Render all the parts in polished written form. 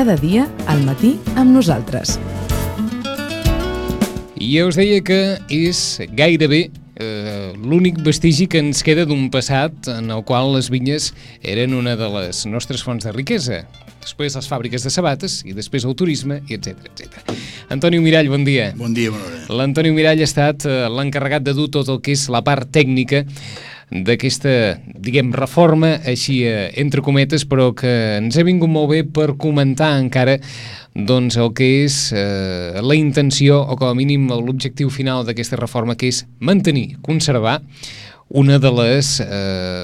cada dia al matí amb nosaltres. I ja us deia que és gairebé l'únic vestigi que ens queda d'un passat en el qual les vinyes eren una de les nostres fonts de riquesa. Després les fàbriques de sabates i després el turisme, i etc. Antonio Mirall, bon dia. Bon dia, Manora. L'Antonio Mirall ha estat l'encarregat de dur tot el que és la part tècnica d'aquesta, diguem, reforma, així entre cometes, però que ens ha vingut molt bé per comentar encara doncs el que és la intenció, o com a mínim l'objectiu final d'aquesta reforma, que és mantenir, conservar una de les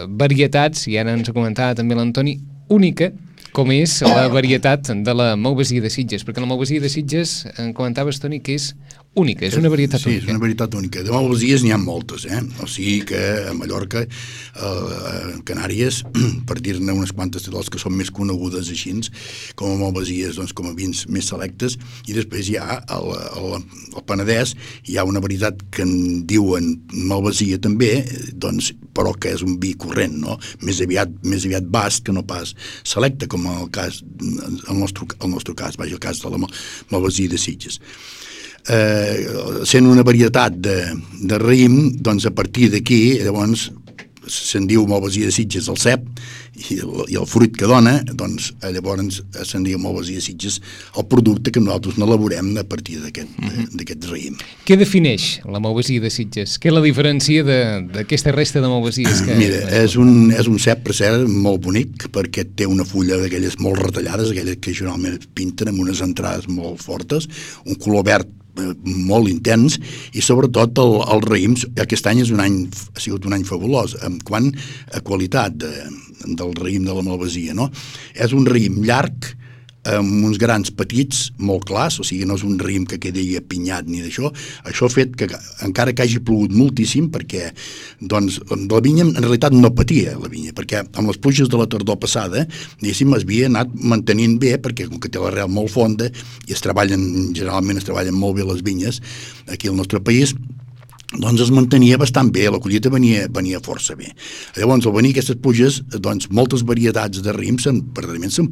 varietats, i ara ens ho comentava també l'Antoni, única, com és la varietat de la Malvasia de Sitges, perquè la Malvasia de Sitges, en comentaves, Toni, que és única, és una varietat única. Sí, és una varietat única. De Malvasies n'hi ha moltes, O sigui que a Mallorca, a Canàries, per dir-ne unes quantes de les que són més conegudes així, com a Malvasies, doncs com a vins més selectes, i després hi ha al Penedès, hi ha una varietat que en diuen Malvasia també, doncs, però que és un vi corrent, no? Més aviat bast que no pas selecte, com el cas, el nostre cas, vaja, el cas de la Malvasia de Sitges. Sent una varietat de raïm, doncs a partir d'aquí, llavors, se'n diu Malvasia de Sitges el cep, i el fruit que dona, doncs llavors se'n diu Malvasia de Sitges el producte que nosaltres n'elaborem a partir d'aquest raïm. Què defineix la Malvasia de Sitges? Què la diferencia d'aquesta resta de Malvasies? Mira, és un cep, per cert, molt bonic, perquè té una fulla d'aquelles molt retallades, aquelles que generalment es pinten amb unes entrades molt fortes, un color verd molt intens, i sobretot el raïm aquest any ha sigut un any fabulós en quant a qualitat del raïm de la Malvasia, no? És un raïm llarg amb uns grans petits molt clars, o sigui, no és un raïm que quedi apinyat ni d'això. Això ha fet que, encara que hagi plogut moltíssim, perquè doncs, la vinya en realitat no patia, la vinya, perquè amb les pluges de la tardor passada, diguéssim, es havia anat mantenint bé, perquè com que té l'arrel molt fonda i generalment es treballen molt bé les vinyes aquí al nostre país, doncs es mantenia bastant bé, la collita venia força bé. Llavors, al venir aquestes pluges, doncs moltes varietats de raïm s'han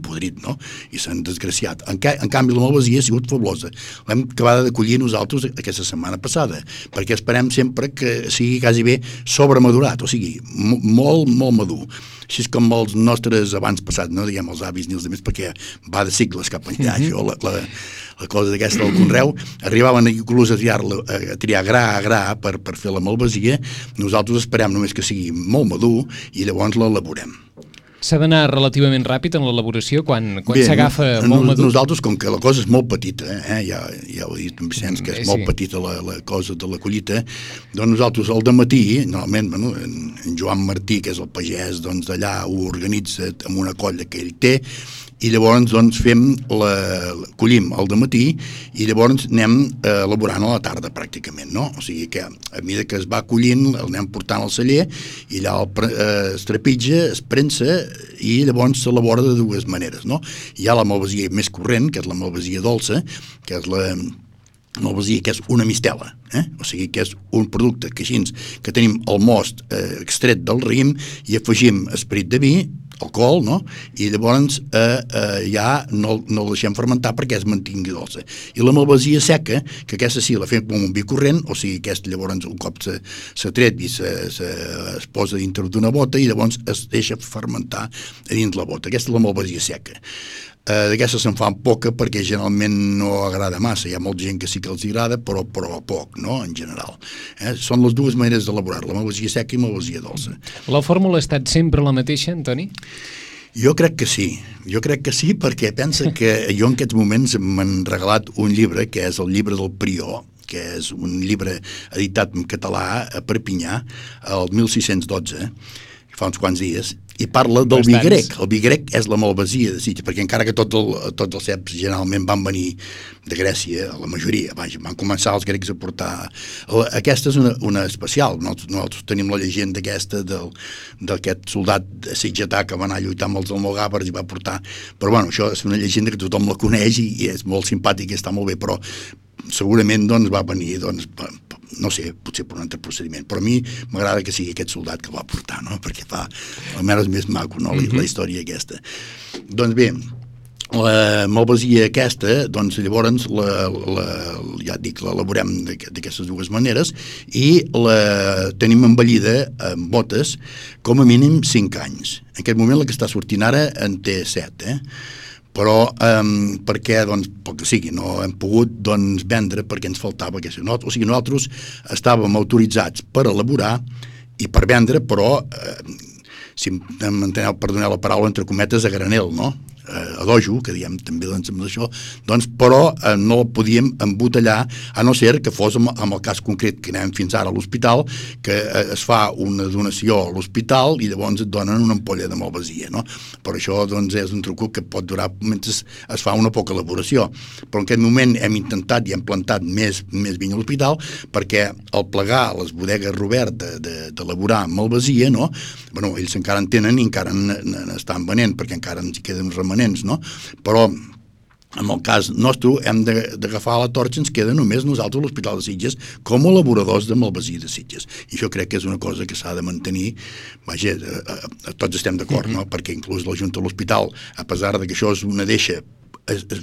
podrit, no? I s'han desgraciat. En canvi, la Malvasia ha sigut fabulosa. L'hem acabada de collir nosaltres aquesta setmana passada, perquè esperem sempre que sigui quasi bé sobremadurat, o sigui, molt, molt madur. Així és com els nostres abans passats, no diguem els avis ni els altres, perquè va de cicles cap enllà, això, la cosa d'aquesta del conreu, arribaven inclús a triar gra a gra per fer la Malvasia. Nosaltres esperem només que sigui molt madur i llavors l'elaborem. S'ha d'anar relativament ràpid en l'elaboració quan s'agafa molt madur? Nosaltres, com que la cosa és molt petita, ja ho he dit en Vicenç, que és molt petita la cosa de la collita, doncs nosaltres al dematí, normalment, en Joan Martí, que és el pagès, doncs d'allà ho organitza amb una colla que ell té, i llavors doncs collim al dematí i llavors anem elaborant a la tarda pràcticament, no? O sigui que a mesura que es va collint l'anem portant al celler i allà es trepitja, es prensa i llavors s'elabora de dues maneres, no? Hi ha la Malvasia més corrent, que és la Malvasia dolça, que és la Malvasia, que és una mistela, o sigui que és un producte que així que tenim el most extret del raïm i afegim esperit de vi, alcohol, no? I llavors ja no el deixem fermentar perquè es mantingui dolça. I la Malvasia seca, que aquesta sí la fem com un vi corrent, o sigui que llavors un cop s'ha tret i es posa dintre d'una bota i llavors es deixa fermentar a dins la bota. Aquesta és la Malvasia seca. D'aquesta se'n fa poca perquè generalment no agrada massa. Hi ha molta gent que sí que els agrada, però poc, no?, en general. Són les dues maneres d'elaborar, la Malvasia seca i Malvasia dolça. La fórmula ha estat sempre la mateixa, Antoni? Jo crec que sí, perquè pensa que jo en aquests moments m'han regalat un llibre, que és el llibre del Prior, que és un llibre editat en català a Perpinyà, el 1612, fa uns quants dies, i parla del vi grec. El vi grec és la Malvasia de Sitges, perquè encara que tots els ceps generalment van venir de Grècia, la majoria, van començar els grecs a portar. Aquesta és una especial. Nosaltres tenim la llegenda aquesta d'aquest soldat sitgetà que va anar a lluitar amb els almogàvers i va portar. Però bueno, això és una llegenda que tothom la coneix i és molt simpàtica i està molt bé, però segurament doncs va venir no sé, potser per un altre procediment, però a mi m'agrada que sigui aquest soldat que el va portar, no? Perquè fa almenys més maco, no? La història aquesta. Doncs bé, la malvasia aquesta, doncs llavors ja et dic, l'elaborem d'aquestes dues maneres i la tenim envellida amb botes com a mínim 5 anys. En aquest moment la que està sortint ara en té 7, però perquè, doncs, pel que sigui, no hem pogut vendre perquè ens faltava aquesta nota. O sigui, nosaltres estàvem autoritzats per elaborar i per vendre, però, si m'enteneu, perdoneu la paraula, entre cometes, a granel, no? A dojo, que diem també amb això, però no el podíem embotellar, a no ser que fos amb el cas concret que anem fins ara a l'hospital, que es fa una donació a l'hospital i llavors et donen una ampolla de malvasia, no? Per això és un truc que pot durar mentre es fa una poca elaboració, però en aquest moment hem intentat i hem plantat més vinya a l'hospital perquè al plegar les bodegues Robert d'elaborar malvasia, no? Bueno, ells encara en tenen i encara n'estan venent perquè encara ens queden remanents, no? Però en el cas nostre hem d'agafar la torxa, ens queda només nosaltres a l'Hospital de Sitges com a elaboradors de malvasia de Sitges, i això crec que és una cosa que s'ha de mantenir. Vaja, tots estem d'acord, no? Perquè inclús la Junta de l'Hospital, a pesar de que això és una deixa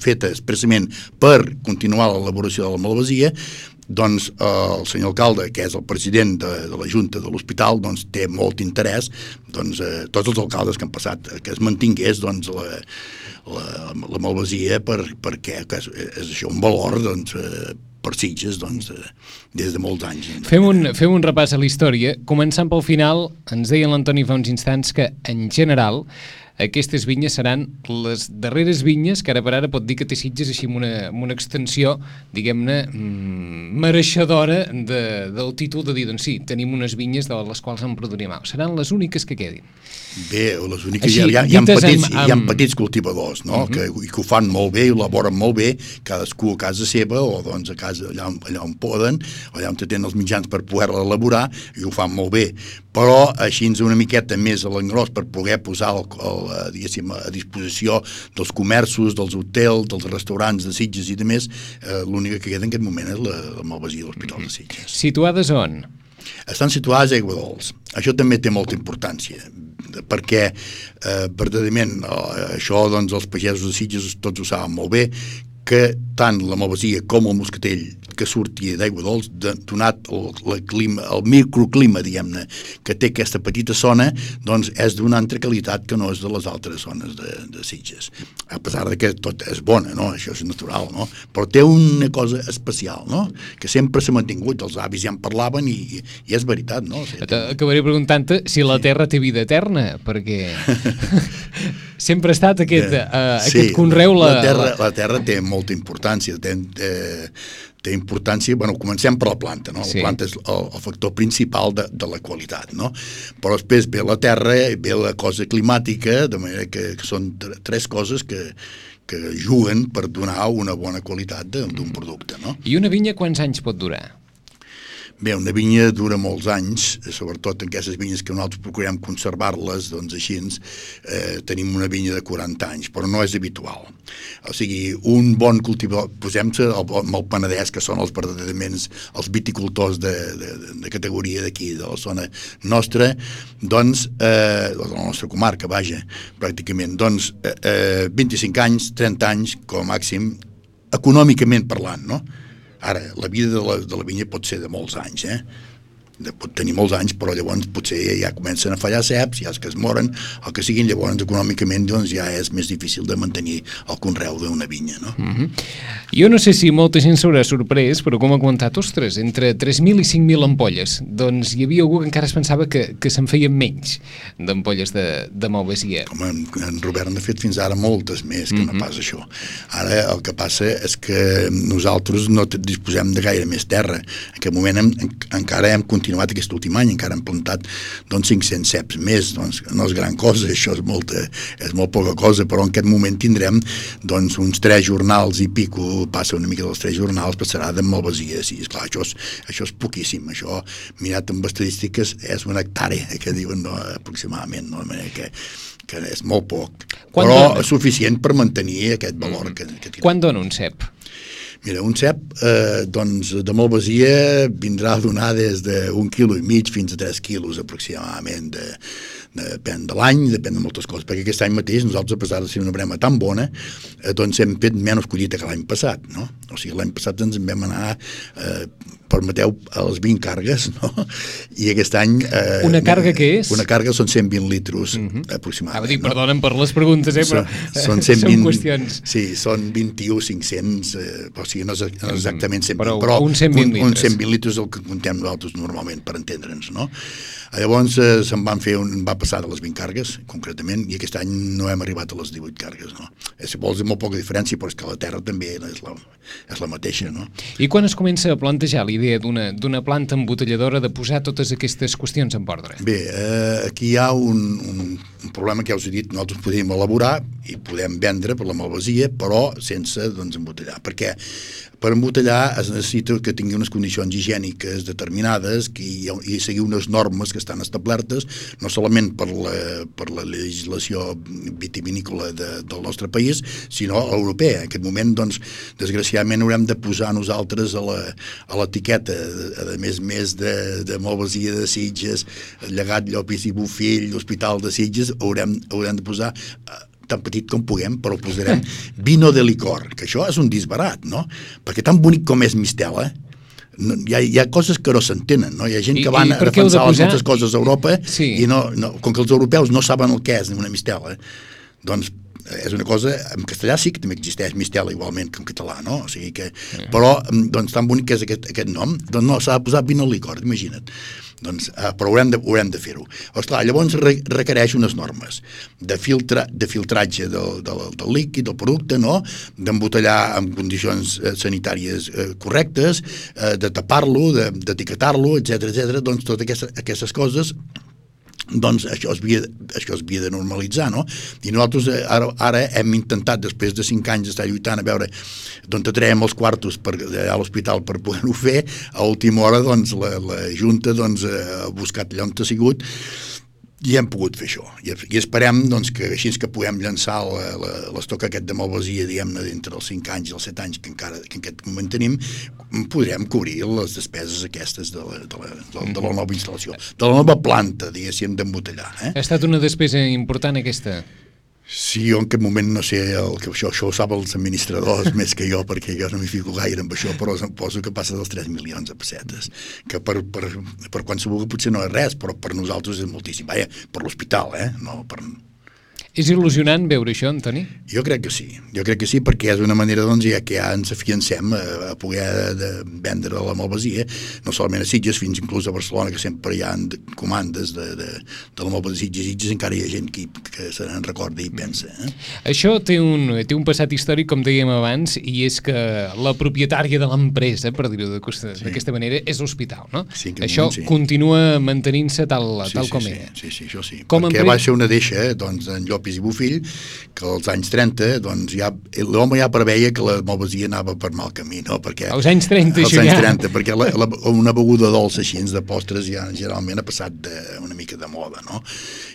feta expressament per continuar l'elaboració de la malvasia, doncs el senyor alcalde, que és el president de la Junta de l'Hospital, doncs té molt interès, tots els alcaldes que han passat, que es mantingués la malvasia perquè és això un valor per Sitges des de molts anys. Fem un repàs a la història. Començant pel final, ens deia l'Antoni fa uns instants que en general aquestes vinyes seran les darreres vinyes que ara per ara pot dir que té Sitges així amb una extensió, diguem-ne, mereixedora del títol de dir, doncs sí, tenim unes vinyes de les quals en produirem. Seran les úniques que quedin. Bé, les úniques, hi ha petits cultivadors, no? que ho fan molt bé i ho elaboren molt bé, cadascú a casa seva o a casa allà on poden, allà on tenen els mitjans per poder-la elaborar, i ho fan molt bé. Però així una miqueta més a l'engròs per poder posar a disposició dels comerços, dels hotels, dels restaurants de Sitges i de més, l'única que queda en aquest moment és la malvasia de l'Hospital de Sitges. Situades on? Estan situades a Aiguadols. Això també té molta importància, perquè verdaderament això els pagesos de Sitges tots ho saben molt bé, que tant la malvasia com el moscatell que surti d'Aiguadols, donat el microclima, diguem-ne, que té aquesta petita zona, doncs és d'una altra qualitat que no és de les altres zones de Sitges. A pesar de que tot és bona, no? Això és natural, no? Però té una cosa especial, no? Que sempre s'ha mantingut, els avis ja en parlaven i és veritat, no? Acabaré preguntant-te si la terra té vida eterna, perquè sempre ha estat aquest conreu... La terra té molta importància, té importància, comencem per la planta, no? La planta és el factor principal de la qualitat, no? Però després ve la terra, ve la cosa climàtica, de manera que són tres coses que juguen per donar una bona qualitat d'un producte, no? I una vinya quants anys pot durar? Bé, una vinya dura molts anys, sobretot en aquestes vinyes que nosaltres procurem conservar-les, doncs així tenim una vinya de 40 anys, però no és habitual. O sigui, un bon cultivador, posem-se amb el Penedès, que són verdaderament els viticultors de categoria d'aquí, de la zona nostra, doncs, de la nostra comarca, vaja, pràcticament, doncs, 25 anys, 30 anys, com a màxim, econòmicament parlant, no? Ara, la vida de la vinya pot ser de molts anys, pot tenir molts anys, però llavors potser ja comencen a fallar ceps, ja és que es moren, el que siguin, llavors econòmicament ja és més difícil de mantenir el conreu d'una vinya, no? Jo no sé si molta gent s'haurà sorprès, però com ha comentat, ostres, entre 3.000 i 5.000 ampolles, doncs hi havia algú que encara es pensava que se'n feien menys d'ampolles de malvasia. Home, en Robert n'ha fet fins ara moltes més que no pas això. Ara el que passa és que nosaltres no disposem de gaire més terra. En aquest moment encara hem continuat aquest últim any, encara hem plantat 500 ceps més, no és gran cosa, això és molt poca cosa, però en aquest moment tindrem uns 3 jornals i pico, passa una mica dels 3 jornals, passarà de malvasia, sí, esclar, això és poquíssim, això mirat amb estadístiques és una hectàrea, que diuen aproximadament, no? De manera que és molt poc, però és suficient per mantenir aquest valor que tenim. Quan dona un cep? Mira, un cep de malvasia vindrà a donar des d'1,5 quilo fins a 3 quilos aproximadament Depèn de l'any, depèn de moltes coses, perquè aquest any mateix nosaltres, a pesar de ser una brema tan bona, doncs hem fet menys collita que l'any passat, no? O sigui, l'any passat ens en vam anar, permeteu, a les 20 cargues, no? I aquest any... Una carga què és? Una carga són 120 litros aproximadament. Dir, perdona'm per les preguntes, però són 120, són qüestions. Sí, són 21.500, o sigui, no és exactament 120, però un 120 litres. Un 120 litres és el que contem nosaltres normalment, per entendre'ns, no? Llavors va passar de les 20 cargues, concretament, i aquest any no hem arribat a les 18 cargues, no? Si vols, molt poca diferència, però és que la terra també és la mateixa, no? I quan es comença a plantejar l'idea d'una planta embotelladora de posar totes aquestes qüestions en ordre? Bé, aquí hi ha un problema que ja us he dit, nosaltres podem elaborar i podem vendre per la malvasia, però sense, doncs, embotellar. Per què? Per embotellar es necessita que tingui unes condicions higièniques determinades i seguir unes normes que estan establertes, no solament per la legislació vitivinícola del nostre país, sinó europea. En aquest moment, doncs, desgraciadament haurem de posar nosaltres a l'etiqueta, a més de malvasia de Sitges, Llegat, Llopis i Bofill, l'Hospital de Sitges, haurem de posar tan petit com puguem, però posarem vino de licor, que això és un disbarat, no? Perquè tan bonic com és Mistela, hi ha coses que no s'entenen, no? Hi ha gent que van a defensar les nostres coses a Europa i com que els europeus no saben el que és una Mistela, doncs és una cosa, en castellà sí que també existeix Mistela igualment que en català, no? O sigui que, però, doncs, tan bonic que és aquest nom, doncs no, s'ha de posar vino de licor, imagina't. Doncs, però haurem de fer-ho. Esclar, llavors requereix unes normes de filtratge del líquid, del producte, no? D'embotellar en condicions sanitàries correctes, de tapar-lo, d'etiquetar-lo, etc. Doncs totes aquestes coses, doncs això es havia de normalitzar, no? I nosaltres ara hem intentat, després de 5 anys d'estar lluitant, a veure d'on traiem els quartos a l'hospital per poder-ho fer. A última hora, doncs, la Junta ha buscat allà on ha sigut i hem pogut fer això. I esperem, doncs, que així que puguem llançar l'estoc aquest de malvasia, diguem-ne, d'entre els 5 anys i els 7 anys que en aquest moment tenim, podrem cobrir les despeses aquestes de la nova instal·lació, de la nova planta, diguéssim, d'embotellar. Ha estat una despesa important, aquesta? Sí, jo en aquest moment no sé, això ho saben els administradors més que jo, perquè jo no m'hi fico gaire amb això, però em poso que passa dels 3 milions de pessetes, que per qualsevol potser no és res, però per nosaltres és moltíssim. Vaja, per l'hospital, no per... És il·lusionant veure això, Antoni? Jo crec que sí, perquè és una manera, doncs, ja que ja ens afiancem a poder vendre la malvasia, no solament a Sitges, fins inclús a Barcelona, que sempre hi ha comandes de la malvasia de Sitges, encara hi ha gent que se n'en recorda i pensa. Això té un passat històric, com dèiem abans, i és que la propietària de l'empresa, per dir-ho d'aquesta manera, és l'hospital, no? Sí, això continua mantenint-se tal com era. Sí, això sí, perquè va ser una deixa, doncs, en Llopis i Bofill, que als anys 30, doncs, l'home ja preveia que la malvasia anava per mal camí, no? Perquè als anys 30, perquè una beguda dolça així de postres ja generalment ha passat una mica de moda, no?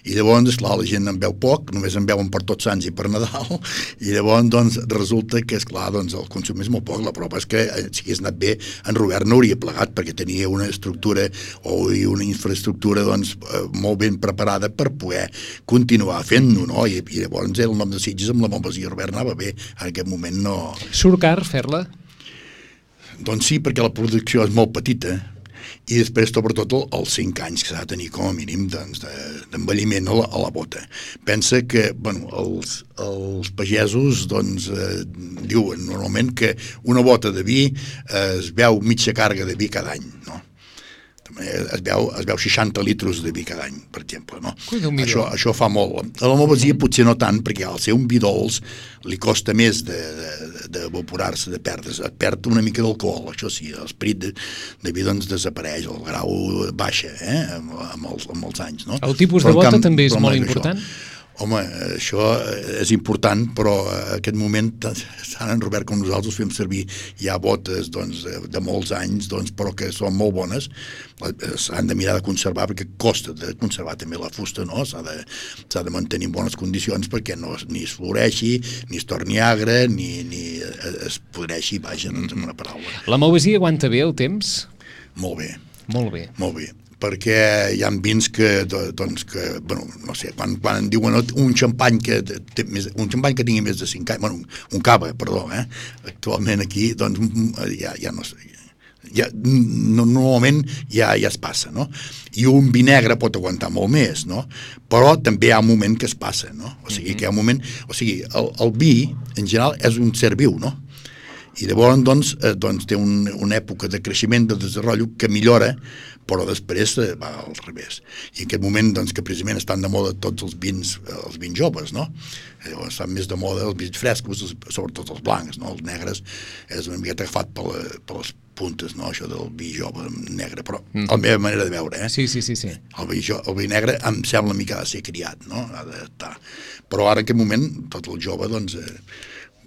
I llavors, esclar, la gent en veu poc, només en veuen per Tots Sants i per Nadal, i llavors, doncs, resulta que, esclar, doncs, el consum és molt poc. La prova és que, si hagués anat bé, en Robert no hauria plegat, perquè tenia una estructura o una infraestructura, doncs, molt ben preparada per poder continuar fent-ho, no? I llavors el nom de Sitges amb la malvasia Robert anava bé, en aquest moment no... Surt car fer-la? Doncs sí, perquè la producció és molt petita, i després, sobretot, els 5 anys que s'ha de tenir com a mínim d'envelliment a la bota. Pensa que, bueno, els pagesos, doncs, diuen normalment que una bota de vi es veu mitja carga de vi cada any, no? Es veu 60 litros de vi cada any, per exemple, no? Això fa molt. A la malvasia potser no tant, perquè al ser un vi dolç li costa més d'evaporar-se, de perdre's. Et perd una mica d'alcohol, això sí, l'esperit de vi doncs desapareix, el grau baixa amb els anys, no? El tipus de bota també és molt important? Home, això és important, però en aquest moment tant en Robert com nosaltres fem servir ja botes de molts anys, però que són molt bones. S'han de mirar de conservar, perquè costa de conservar també la fusta, no? S'ha de mantenir en bones condicions perquè ni es floreixi, ni es torni agre, ni es podreixi, vaja, doncs, en una paraula. La malvasia aguanta bé el temps? Molt bé. Molt bé. Molt bé. perquè hi ha vins que, doncs, bueno, no sé, quan en diuen un xampany que tingui més de 5 anys, bueno, un cava, perdó, actualment aquí, doncs ja no sé, normalment ja es passa, no? I un vi negre pot aguantar molt més, no? Però també hi ha un moment que es passa, no? O sigui, que hi ha un moment... O sigui, el vi, en general, és un ser viu, no? I llavors, doncs té una època de creixement, de desenvolupament que millora, però després va al revés. I en aquest moment, doncs, que precisament estan de moda tots els vins joves, no? Llavors estan més de moda els vins frescos, sobretot els blancs, no? Els negres és una miqueta agafat per les puntes, no? Això del vi jove negre, però la meva manera de veure, Sí. El vi negre em sembla una mica ha de ser criat, no? Ha d'estar. Però ara en aquest moment, tot el jove, doncs,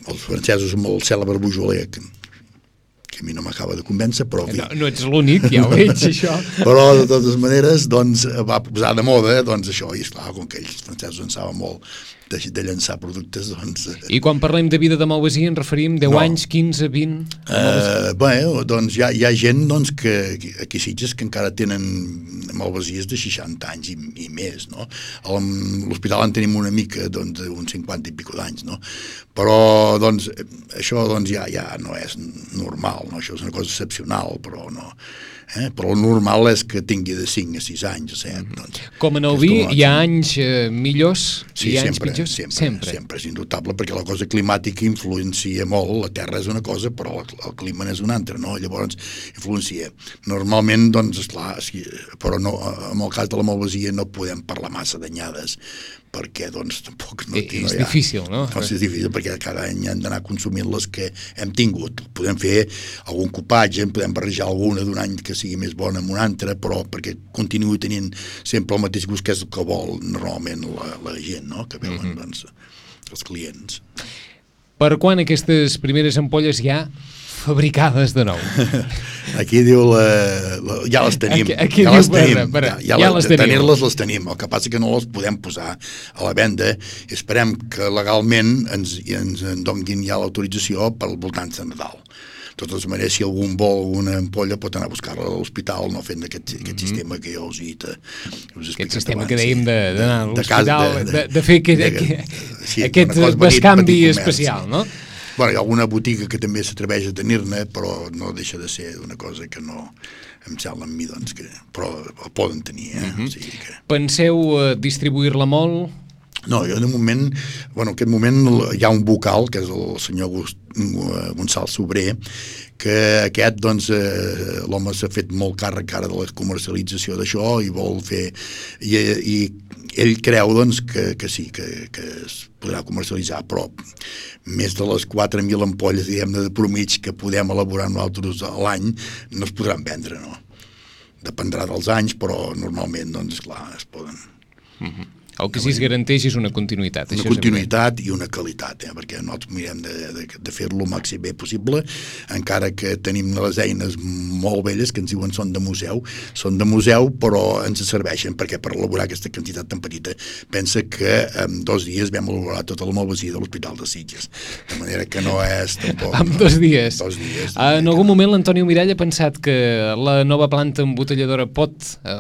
els francesos amb el cèlebre Beaujolais, que a mi no m'acaba de convèncer, però... No ets l'únic, ja ho veig, això. Però, de totes maneres, doncs, va posar de moda, doncs, això, i esclar, com que ells francesos en saben molt de llançar productes, doncs... I quan parlem de vida de Malvasia ens referim 10 anys, 15, 20? Bé, doncs hi ha gent doncs, que aquí a Sitges que encara tenen malvasies de 60 anys i més, no? A l'hospital en tenim una mica d'uns 50 i pico d'anys, no? Però, doncs, això doncs, ja no és normal, no? Això és una cosa excepcional, però no... Però el normal és que tingui de 5 a 6 anys, o 7. Doncs, com en el vi, hi ha anys millors i anys pitjors? Sempre, és indubtable, perquè la cosa climàtica influencia molt. La terra és una cosa, però el clima és una altra, no? Llavors, influencia. Normalment, doncs, esclar, però no, en el cas de la malvasia no podem parlar massa d'anyades, perquè, doncs, tampoc no... És difícil, no? Doncs és difícil, perquè cada any hem d'anar consumint les que hem tingut. Podem fer algun copatge, podem barrejar alguna d'un any que sigui més bona amb una altra, però perquè continuï tenint sempre el mateix gust, que és el que vol normalment la gent, no? Que veuen, doncs, els clients. Per quan aquestes primeres ampolles ja fabricades de nou? Aquí diu ja les tenim. Aquí ja diu, les tenim. tenir-les les tenim. El que passa que no les podem posar a la venda. Esperem que legalment ens en donguin ja l'autorització per al voltant de Nadal. De totes maneres, si algun vol una ampolla pot anar a buscar-la a l'hospital, no fent aquest sistema que jo us he dit. Aquest sistema que dèiem d'anar a l'hospital, de fer aquest bescanvi especial, no? Bueno, hi ha alguna botiga que també s'atreveix a tenir-ne, però no deixa de ser una cosa que no em sembla amb mi, doncs, però el poden tenir, o sigui que... Penseu distribuir-la molt? No, jo de moment, bueno, en aquest moment hi ha un vocal, que és el senyor Gonçal Sobrer, que aquest, doncs, l'home s'ha fet molt càrrec ara de la comercialització d'això i vol fer... I ell creu, doncs, que sí, que es podrà comercialitzar, però més de les 4.000 ampolles, diguem-ne, de promig que podem elaborar nosaltres a l'any no es podran vendre, no? Dependrà dels anys, però normalment, doncs, clar, es poden... El que sí es garanteix és una continuïtat. Una continuïtat i una qualitat, perquè nosaltres mirem de fer-lo el màxim bé possible, encara que tenim les eines molt velles que ens diuen són de museu, però ens serveixen, perquè per elaborar aquesta quantitat tan petita, pensa que en 2 dies vam elaborar tota la malvasia de l'Hospital de Sitges, de manera que no és tampoc... En 2 dies. 2 dies. En algun moment l'Antoni Mirall ha pensat que la nova planta embotelladora pot,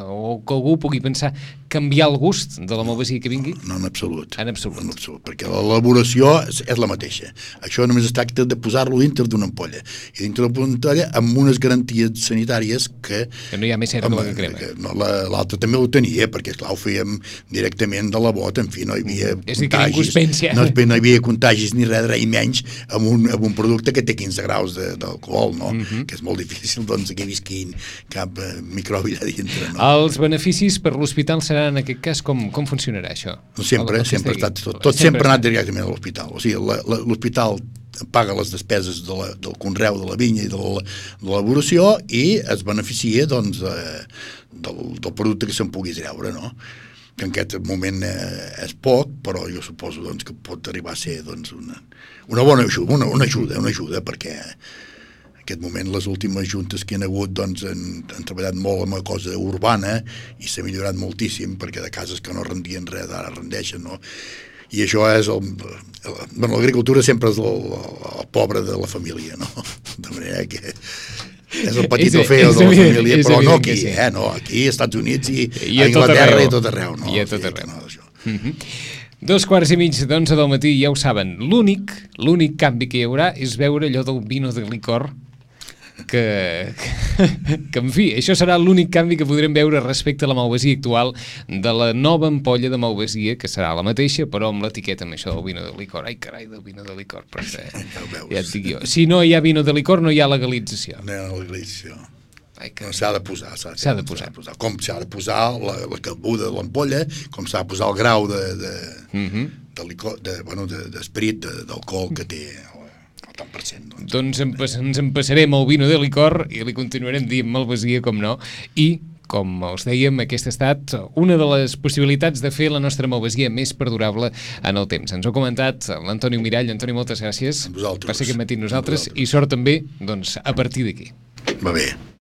o que algú pugui pensar, canviar el gust de la malvasia que vingui? No, en absolut. En absolut. Perquè l'elaboració és la mateixa. Això només es tracta de posar-lo dintre d'una ampolla. I dintre d'una ampolla amb unes garanties sanitàries que no hi ha més cera que la que crema. No, l'altre també ho tenia, perquè esclar, ho fèiem directament de la bota, en fi, no hi havia contagis. No hi havia contagis ni res, i menys amb un producte que té 15 graus d'alcohol, no? Que és molt difícil, doncs, que visqui cap microbi allà dintre, no? Els beneficis per l'hospital seran, en aquest cas, com funcionarà això? Sempre ha estat, tot sempre ha anat directament a l'hospital. O sigui, l'hospital paga les despeses del conreu de la vinya i de l'elaboració i es beneficia, doncs, del producte que se'n pugui treure, no? Que en aquest moment és poc, però jo suposo, doncs, que pot arribar a ser, doncs, una bona ajuda, una ajuda, perquè en aquest moment les últimes juntes que hi ha hagut, doncs, han treballat molt amb la cosa urbana i s'ha millorat moltíssim, perquè de cases que no rendien res ara rendeixen, no? I això és l'agricultura sempre és el pobre de la família, no? De manera que És el petito feo de la família, però no aquí, no, aquí, als Estats Units i a Anglaterra i a tot arreu. I a tot arreu. 2:15 d'11 del matí, ja ho saben, l'únic canvi que hi haurà és veure allò del vino de licor, que en fi, això serà l'únic canvi que podrem veure respecte a la malvasia actual de la nova ampolla de malvasia, que serà la mateixa, però amb l'etiqueta amb això del vino de licor. Ai, carai, del vino de licor, però ja et dic jo. Si no hi ha vino de licor, no hi ha legalització. No hi ha legalització. S'ha de posar. Com s'ha de posar la cabuda de l'ampolla, com s'ha de posar el grau d'esperit, d'alcohol que té el tant per cent. Doncs ens empassarem el vino de licor i li continuarem dient malvasia, com no, i com us dèiem, aquesta ha estat una de les possibilitats de fer la nostra malvasia més perdurable en el temps. Ens ho ha comentat l'Antoni Mirall. Antoni, moltes gràcies per ser aquest matí amb nosaltres i sort també, doncs, a partir d'aquí. Va bé.